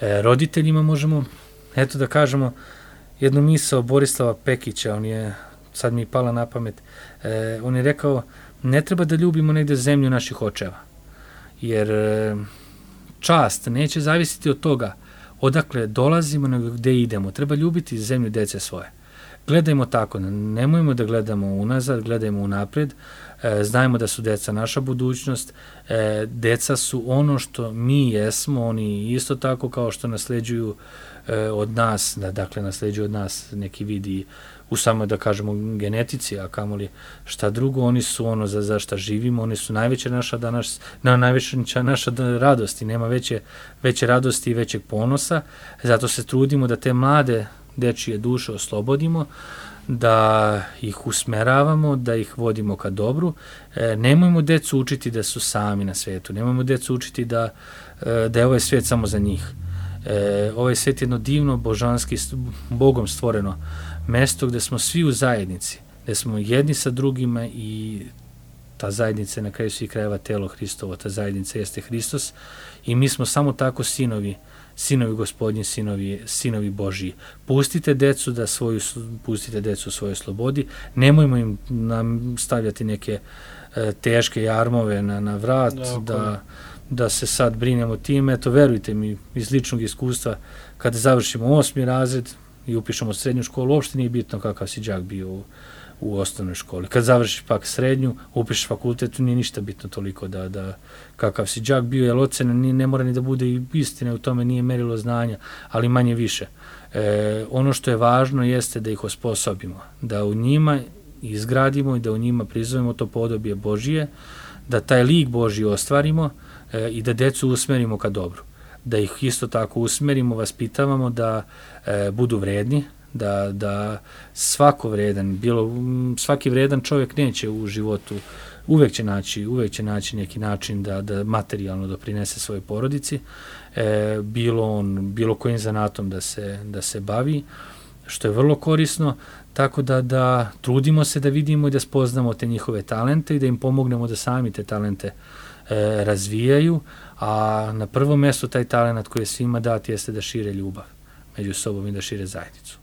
Roditeljima možemo, eto da kažemo, jednu misao Borislava Pekića, on je, sad mi je pala na pamet, on je rekao, ne treba da ljubimo negde zemlju naših očeva, jer čast neće zavisiti od toga odakle dolazimo, nego gde idemo. Treba ljubiti zemlju dece svoje. Gledajmo tako, nemojmo da gledamo unazad, gledajmo unapred, znajmo da su deca naša budućnost, deca su ono što mi jesmo, oni isto tako kao što nasleđuju od nas, dakle nasleđuju od nas neki vidi u samo da kažemo genetici, a kamoli šta drugo, oni su ono za šta živimo, oni su najveća naša radost i nema veće radosti i većeg ponosa, zato se trudimo da te mlade dečije duše oslobodimo, da ih usmeravamo, da ih vodimo ka dobru. Nemojmo decu učiti da su sami na svetu, nemojmo decu učiti da je ovaj svet samo za njih. Ovaj svet je jedno divno, božanski, Bogom stvoreno mesto gde smo svi u zajednici, gde smo jedni sa drugima i ta zajednica je na kraju svih krajeva telo Hristovo, ta zajednica jeste Hristos i mi smo samo tako sinovi Gospodnji, sinovi Božiji. Pustite decu u svojoj slobodi, nemojmo im stavljati neke teške jarmove na vrat, da se sad brinemo tim. Eto, verujte mi, iz ličnog iskustva, kada završimo 8. razred i upišemo srednju školu, uopšte nije bitno kakav si đak bio u osnovnoj školi. Kad završiš pak srednju, upišeš fakultet, nije ništa bitno toliko da kakav si đak bio, jer ocena ne mora ni da bude i istina, u tome nije merilo znanja, ali manje više. Ono što je važno jeste da ih osposobimo, da u njima izgradimo i da u njima prizovemo to podobije Božije, da taj lik Božji ostvarimo i da decu usmerimo ka dobru. Da ih isto tako usmerimo, vaspitavamo da budu vredni, da svaki vredan čovjek neće u životu, uvek će naći neki način da materijalno doprinese svojoj porodici, bilo kojim zanatom da se bavi, što je vrlo korisno, tako da trudimo se da vidimo i da spoznamo te njihove talente i da im pomognemo da sami te talente razvijaju, a na prvom mjestu taj talent koji je svima dat jeste da šire ljubav među sobom i da šire zajednicu.